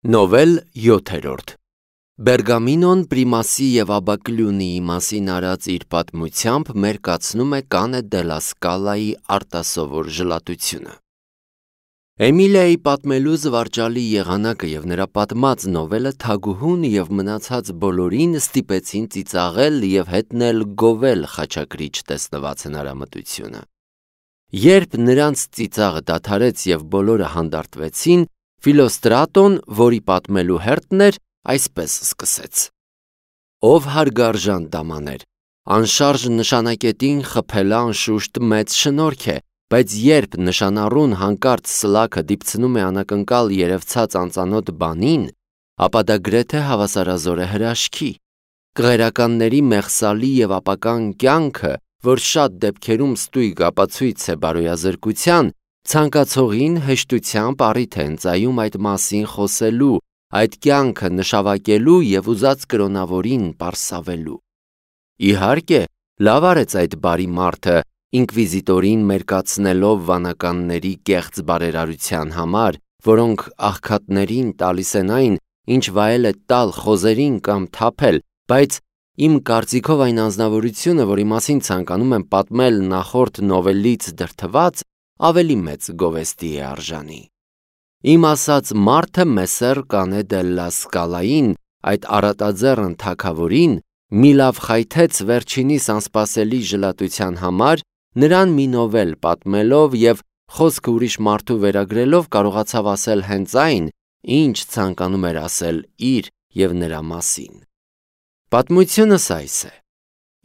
Նովել 7-րդ Բերգամինոն Պրիմասի և Աբակլյունիի մասին արած իր պատմությամբ մերկացնում է Կանե դելլա Սկալայի արտասովոր ժլատությունը։ Էմիլիայի պատմելու զվարճալի եղանակը և նրա պատմած նովելը թագուհուն և մնացած բոլորին ստիպեցին ծիծաղել և հետնել գովել խաչակրիչ տեսնված հնարամտությունը։ Երբ նրանց ծիծաղը դադարեց և բոլորը հանդարտվեցին, Ֆիլոստրատոն, որի պատմելու հերթն էր, այսպես սկսեց. Ով հարգարժան դամաներ, անշարժ նշանակետին խփելը անշուշտ մեծ շնորհք է, բայց երբ նշանառուն հանկարծ սլաքը դիպցնում է անակնկալ երևցած անծանոթ բանին, ապա դա գրեթե հավասարազոր է հրաշքի։ Կղերականների մեղսալի և ապական կյանքը, որ շատ դեպքերում ստույգ ապացույց է բարոյազրկության, ցանկացողին հեշտությամբ առիթ է ընծայում այդ մասին խոսելու, այդ կյանքը նշավակելու և ուզած կրոնավորին պարսավելու։ Իհարկե, լավ արեց այդ բարի մարդը, ինկվիզիտորին մերկացնելով վանականների կեղծ բարերարության համար, որոնք աղքատներին տալիս են այն, ինչ վայել է տալ խոզերին կամ թափել, բայց իմ կարծիքով այն անձնավորությունը, որի մասին ցանկանում եմ պատմել նախորդ նովելից դրդված, ավելի մեծ գովեստի է արժանի։ Իմ ասած մարդը Մեսսեր Կանե դելլա Սկալային, այդ առատաձեռն թագավորին, մի լավ խայթեց վերջինիս անսպասելի ժլատության համար, նրան մի նովել պատմելով և խոսքը ուրիշ մարդու վերագրելով կարողացավ ասել հենց այն, ինչ ցանկանում էր ասել իր և նրա մասին։ Պատմությունս այս է.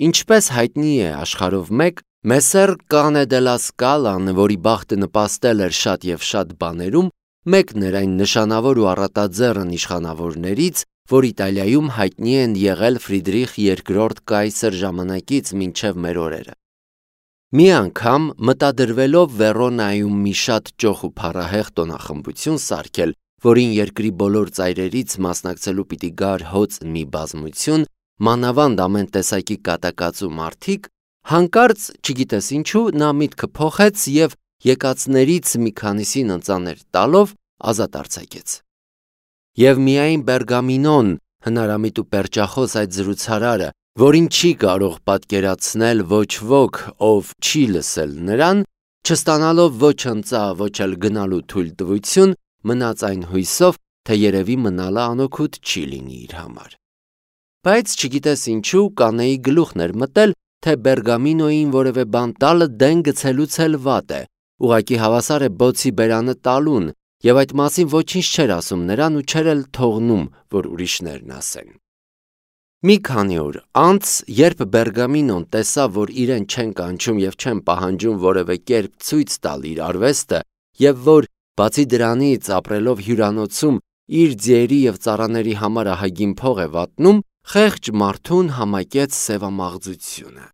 Ինչպես հայտնի է աշխարհով մեկ, Մեսսեր Կանե դելլա Սկալան, որի բախտը նպաստել էր շատ և շատ բաներում, մեկն էր այն նշանավոր ու առատաձեռն իշխանավորներից, որ Իտալիայում հայտնի են եղել Ֆրիդրիխ II կայսր ժամանակից մինչև մեր օրերը։ Մի անգամ, մտադրվելով Վերոնայում մի շատ ճոխ ու փառահեղ տոնախմբություն սարքել, որին երկրի բոլոր ծայրերից մասնակցելու պիտի գար հոծ մի բազմություն, մանավանդ ամեն տեսակի կատակածու մարդիկ, հանկարծ, չգիտես ինչու, նա միտքը փոխեց և եկածներից մի քանիսին ընծաներ տալով ազատ արձակեց։ Եվ միայն Բերգամինոն, հնարամիտ ու պերճախոս այդ զրուցարարը, որին չի կարող պատկերացնել ոչ ոք, ով չի լսել նրան, չստանալով ոչ ընծա, ոչ էլ գնալու թույլտվություն, մնաց այն հույսով, թե երևի մնալը անօգուտ չի լինի իր համար։ Բայց չգիտես ինչու, Կանեի գլուխն էր մտել, թե Բերգամինոյին որևէ բան տալը դեն գցելուց էլ վատ է, ուղղակի հավասար է բոցի բերանը տալուն, և այդ մասին ոչինչ չէր ասում նրան ու չէր էլ թողնում, որ ուրիշներն ասեն։ Մի քանի օր անց, երբ Բերգամինոն տեսավ, որ իրեն չեն կանչում և չեն պահանջում որևէ կերպ ցույց տալ իր արվեստը, և որ, բացի դրանից, ապրելով հյուրանոցում, իր ձիերի և ծառաների համար ահագին փող է վատնում, խեղճ մարդուն համակեց սևամաղձությունը։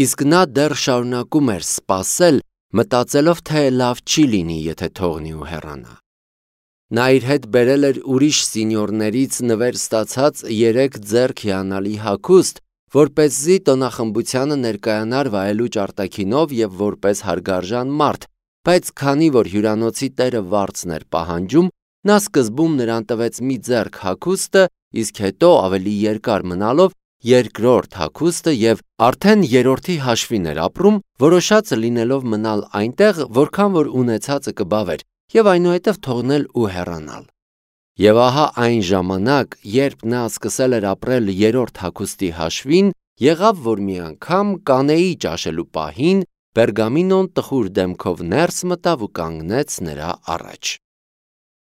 Իսկ նա դեռ շարունակում էր սպասել, մտածելով, թե լավ չի լինի, եթե թողնի ու հեռանա։ Նա իր հետ բերել էր ուրիշ սինյորներից նվեր ստացած 3 ձեռք հիանալի հագուստ, որպեսզի տոնախմբությանը ներկայանար վայելուչ արտաքինով և որպես հարգարժան մարդ, բայց քանի որ հյուրանոցի տերը վարձն էր պահանջում, նա սկզբում նրան տվեց մի ձեռք հագուստը, իսկ հետո ավելի երկար մնալով երկրորդ հագուստը և արդեն երրորդի հաշվին էր ապրում, որոշած լինելով մնալ այնտեղ, որքան որ ունեցածը կբավեր, և այնուհետև թողնել ու հեռանալ։ Եվ ահա այն ժամանակ, երբ նա սկսել էր ապրել երրորդ հագուստի հաշվին, եղավ, որ մի անգամ Կանեի ճաշելու պահին Բերգամինոն տխուր դեմքով ներս մտավ ու կանգնեց նրա առաջ։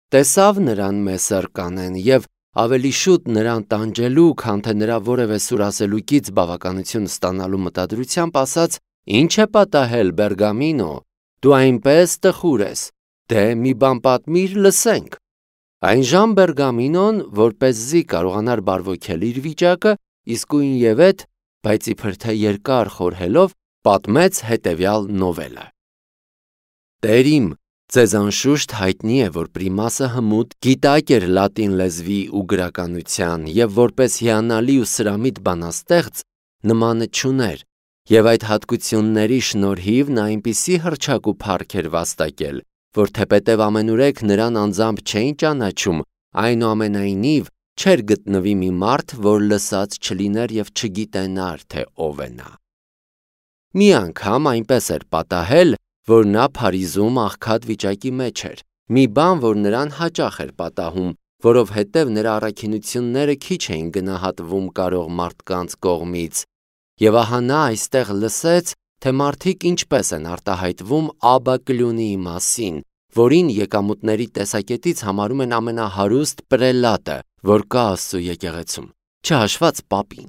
Տեսավ նրան Մեսսեր Կանեն և ավելի շուտ նրան տանջելու, քան թե նրա որևէ սուրասելուկից բավականություն ստանալու մտադրությամբ ասաց. «Ինչ է պատահել, Բերգամինո, դու այնպես տխուր ես, դե մի բան պատմիր, լսենք»։ Այնժամ Բերգամինոն, որպեսզի կարողանար բարվոքել իր վիճակը, իսկույնևեթ, բայց իբր թե երկար խորհելով, պատմեց հետևյալ նովելը. Տեր իմ, ձեզ անշուշտ հայտնի է, որ Պրիմասը հմուտ գիտակ էր լատին լեզվի ու գրականության և որպես հիանալի ու սրամիտ բանաստեղծ նմանը չուներ, և այդ հատկությունների շնորհիվ նա այնպիսի հռչակ ու փառք էր վաստակել, որ թեպետև ամենուրեք նրան անձամբ չէին ճանաչում, այնուամենայնիվ չէր գտնվի մի մարդ, որ լսած չլիներ և չգիտենար, թե ով է նա։ Մի անգամ այնպես էր պատահել, որ նա Փարիզում աղքատ վիճակի մեջ էր, մի բան, որ նրան հաճախ էր պատահում, որովհետև նրա առաքինությունները քիչ էին գնահատվում կարող մարդկանց կողմից, և ահա նա այստեղ լսեց, թե մարդիկ ինչպես են արտահայտվում Աբբա կլյունիի մասին, որին եկամուտների տեսակետից համարում են ամենահարուստ պրելատը, որ կա Աստծու եկեղեցում, չհաշված պապին։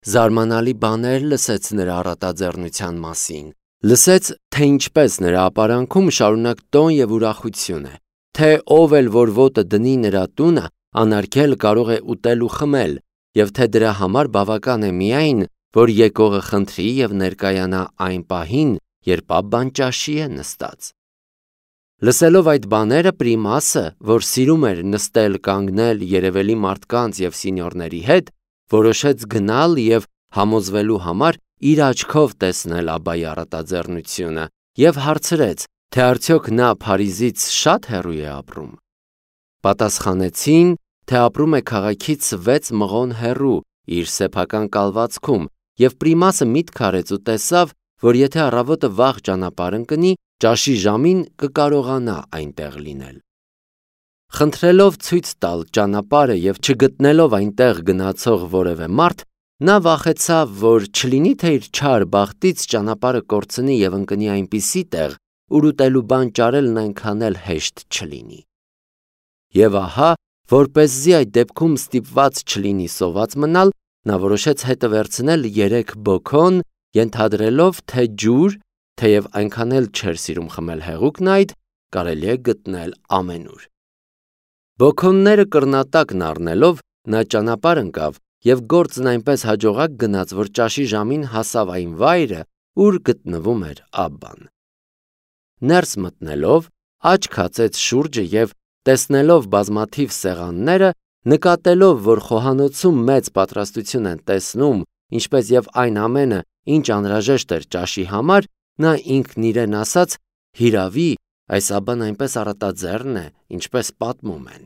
Զարմանալի բաներ լսեց նրա առատաձեռնության մասին, լսեց, թե ինչպես նրա ապարանքում շարունակ տոն և ուրախություն է, թե ով էլ որ ոտը դնի նրա տունը, անարգել կարող է ուտել ու խմել, և թե դրա համար բավական է միայն, որ եկողը խնդրի և ներկայանա այն պահին, երբ Աբբան ճաշի է նստած։ Լսելով այդ բաները, Պրիմասը, որ սիրում էր նստել կանգնել երևելի մարդկանց և սինյորների հետ, որոշեց գնալ և համոզվելու համար իր աչքով տեսնել Աբբայի առատաձեռնությունը և հարցրեց, թե արդյոք նա Փարիզից շատ հեռու է ապրում։ Պատասխանեցին, թե ապրում է քաղաքից 6 մղոն հեռու իր սեփական կալվածքում, և Պրիմասը միտք արեց ու տեսավ, որ եթե առավոտը վաղ ճանապարհ ընկնի, ճաշի ժամին կկարողանա այնտեղ լինել։ Խնդրելով ցույց տալ ճանապարհը և չգտնելով այնտեղ գնացող որևէ մարդ, նա վախեցավ, որ չլինի թե իր չար բախտից ճանապարհը կորցնի և ընկնի այնպիսի տեղ, ուր ուտելու բան ճարելն այնքան էլ հեշտ չլինի։ Եվ ահա, որպեսզի այդ դեպքում ստիպված չլինի սոված մնալ, նա որոշեց հետը վերցնել 3 բոքոն, ենթադրելով, թե ջուր, թեև այնքան էլ չէր սիրում խմել հեղուկն այդ, կարելի է գտնել ամենուր։ Բոքոնները կռնատակն առնելով, նա ճանապարհ ընկավ և գործն այնպես հաջողակ գնաց, որ ճաշի ժամին հասավ այն վայրը, ուր գտնվում էր Աբբան։ Ներս մտնելով, աչք հացեց շուրջը և, տեսնելով բազմաթիվ սեղանները, նկատելով, որ խոհանոցում մեծ պատրաստություն են տեսնում, ինչպես և այն ամենը, ինչ անհրաժեշտ էր ճաշի համար, նա ինքն իրեն ասաց. «Հիրավի, այս Աբբան այնպես առատաձեռն է, ինչպես պատմում են»։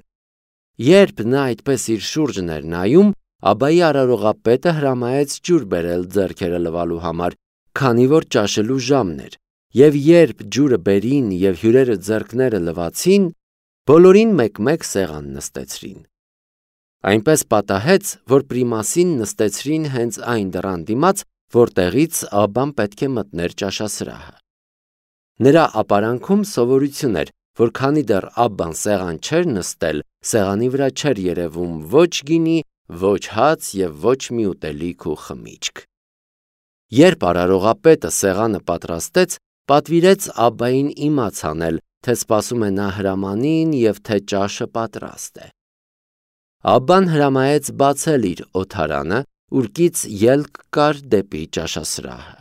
Երբ նա այդպես իր շուրջն էր նայում, Աբբայի արարողապետը հրամայեց ջուր բերել ձեռքերը լվալու համար, քանի որ ճաշելու ժամն էր, և երբ ջուրը բերին և հյուրերը ձեռքները լվացին, բոլորին մեկ-մեկ սեղան նստեցրին։ Այնպես պատահեց, որ Պրիմասին նստեցրին հենց այն դռան դիմաց, որտեղից Աբբան պետք է մտներ ճաշասրահը։ Նրա ապարանքում սովորություն էր, որ քանի դեռ Աբբան սեղան չէր նստել, սեղանի վրա չէր երևում ոչ գինի, ոչ հաց և ոչ մի ուտելիք ու խմիչք։ Երբ արարողապետը սեղանը պատրաստեց, պատվիրեց Աբբային իմաց անել, թե սպասում է նա հրամանին և թե ճաշը պատրաստ է։ Աբբան հրամայեց բացել իր օդարանը, ուր կից ելք կար դեպի ճաշասրահը։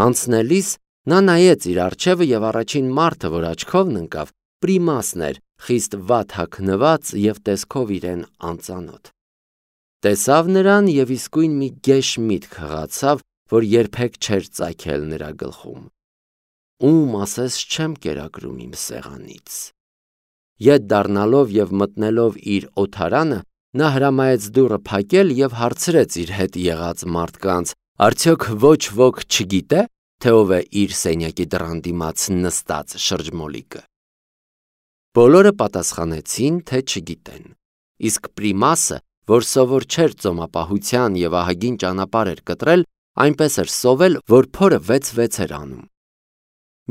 Անցնելիս նա նայեց իր առջևը և առաջին մարդը, որ աչքովն ընկավ, Պրիմասն էր, խիստ վատ հագնված և տեսքով իրեն անծանոթ։ Տեսավ նրան և իսկույն մի գեշ միտք հղացավ, որ երբեք չէր ծագել նրա գլխում. «Ում ասես չեմ կերակրում իմ սեղանից»։ Ետ դառնալով և մտնելով իր օդարանը, նա հրամայեց դուռը փակել և հարցրեց իր հետ եղած մարդկանց. «Արդյոք ոչ ոք չգիտե, թե ով է իր սենյակի դռան դիմաց նստած շրջմոլիկը»։ Բոլորը պատասխանեցին, թե չգիտեն։ Իսկ Պրիմասը, որ սովոր չէր ծոմապահության և ահագին ճանապարհ էր կտրել, այնպես էր սովել, որ փորը 6-6 էր անում։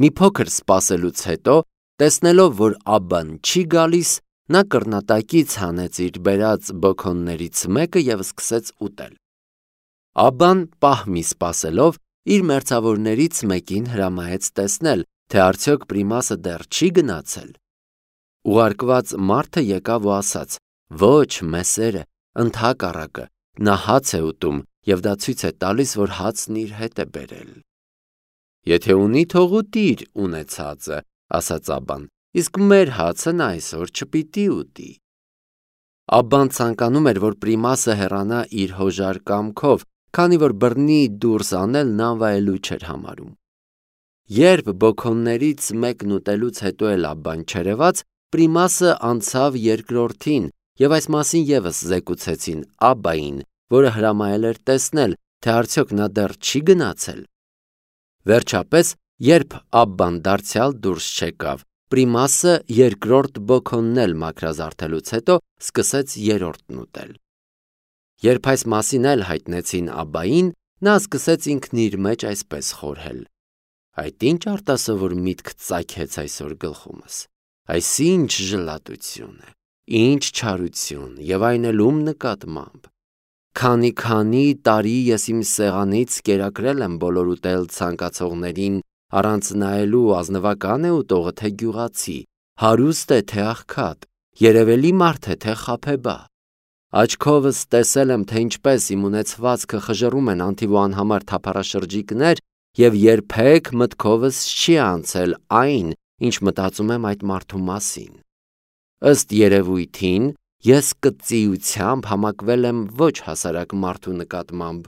Մի փոքր սպասելուց հետո, տեսնելով, որ Աբբան չի գալիս, նա կռնատակից հանեց իր բերած բոքոններից մեկը և սկսեց ուտել։ Աբբան, պահ մի սպասելով, իր մերձավորներից մեկին հրամայեց տեսնել, թե արդյոք Պրիմասը դեռ չի գնացել։ Ուղարկված մարդը եկավ ու ասաց. «Ոչ, մեսերը, ընդհակառակը, նա հաց է ուտում և դա ցույց է տալիս, որ հացն իր հետ է բերել»։ «Եթե ունի, թող ուտի իր ունեցածը», ասաց Աբբան, «իսկ մեր հացը նա այսօր չպիտի ուտի»։ Աբբան ցանկանում էր, որ Պրիմասը հեռանա իր հոժար կամքով, քանի որ բռնի դուրս անելն անվայելույթ չէր համարում։ Երբ բոքոններից մեկն ուտելուց հետո էլ Աբբան չերևաց, Պրիմասը անցավ երկրորդին, եւ այս մասին եւս զեկուցեցին Աբբային, որը հրամայել էր տեսնել, թե արդյոք նա դեռ չի գնացել։ Վերջապես, երբ Աբբան դարձյալ դուրս չեկավ, Պրիմասը երկրորդ բոքոնն էլ մաքրազարդելուց հետո սկսեց երրորդն ուտել։ Երբ այս մասին էլ հայտնեցին Աբբային, նա սկսեց ինքն իր մեջ այսպես խորհել. այդ ինչ արտասովոր միտք ծագեց այսօր գլխումս, այս ինչ ժլատություն է, ինչ չարություն եւ այն էլ ում նկատմամբ։ Քանի տարի ես իմ սեղանից կերակրել եմ բոլոր ուտել ցանկացողներին, առանց նայելու ազնվական է ուտողը թե գյուղացի, հարուստ է թե աղքատ, երևելի մարդ է թե խաբեբա։ Աչքովս տեսել եմ, թե ինչպես իմ ունեցվածքը խժռում են անթիվ ու անհամար թափառաշրջիկներ եւ երբեք մտքովս չի անցել այն, ինչ մտածում եմ այդ մարդու մասին։ Ըստ երևույթին, ես կծիությամբ համակվել եմ ոչ հասարակ մարդու նկատմամբ։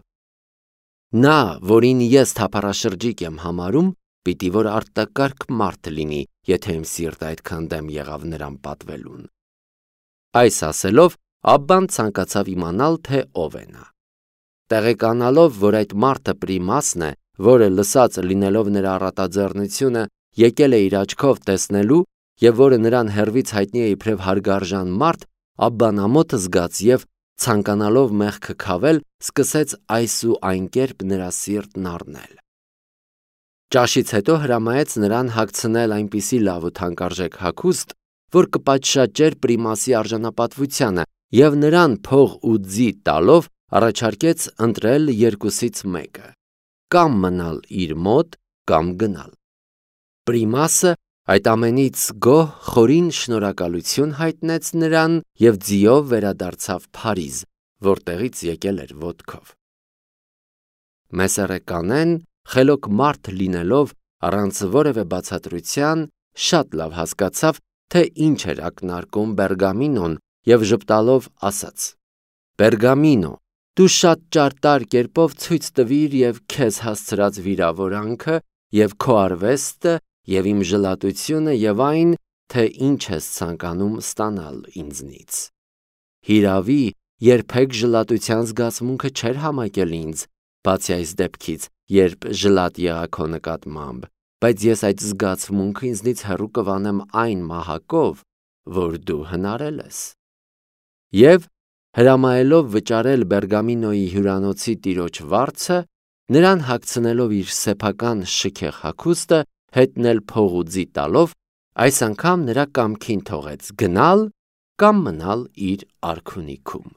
Նա, որին ես թափառաշրջիկ եմ համարում, պիտի որ արտակարգ մարդ լինի, եթե իմ սիրտը այդքան դեմ եղավ նրան պատվելուն։ Այս ասելով, Աբբան ցանկացավ իմանալ, թե ով է նա։ Տեղեկանալով, որ այդ մարդը Պրիմասն է, որը լսած լինելով նրա առատաձեռնությունը, եկել է իր աչքով տեսնելու եւ որը նրան հեռվից հայտնի է իբրև հարգարժան մարդ, Աբբան ամոթ զգաց եւ ցանկանալով մեղքը քավել, սկսեց այս ու այն կերպ նրա սիրտն առնել։ Ճաշից հետո հրամայեց նրան հագցնել այնպիսի լավ ու թանկարժեք հագուստ, որ կպատշաճեր Պրիմասի արժանապատվությանը, եւ նրան փող ու ձի տալով առաջարկեց ընտրել երկուսից մեկը՝ կամ մնալ իր մոտ, կամ գնալ։ Պրիմասը այդ ամենից գոհ խորին շնորհակալություն հայտնեց նրան եւ ձիով վերադարձավ Փարիզ, որտեղից եկել էր ոտքով։ Մեսերեկանեն, խելոք մարդ լինելով առանց որևէ բացատրության, շատ լավ հասկացավ, թե ինչ էր ակնարկում Բերգամինոն եւ ժպտալով ասաց. Բերգամինո, դու շատ ճարտար կերպով ցույց տվիր եւ քեզ հասցրած վիրավորանքը եւ քո արվեստը եւ իմ ժլատությունը եւ այն, թե ինչ ես ցանկանում ստանալ ինձնից։ Հիրավի, երբեք ժլատության զգացմունքը չէր համակել ինձ, բացի այս դեպքից, երբ ժլատ եղա քո նկատմամբ, բայց ես այդ զգացմունքը ինձնից հեռու կվանեմ այն մահակով, որ դու հնարել ես։ Եվ հրամայելով վճարել Բերգամինոյի հյուրանոցի տիրոջ վարձը, նրան հագցնելով իր սեփական շքեղ հագուստը, հետնել փող ու ձի տալով, այս անգամ նրա կամքին թողեց գնալ կամ մնալ իր արքունիքում։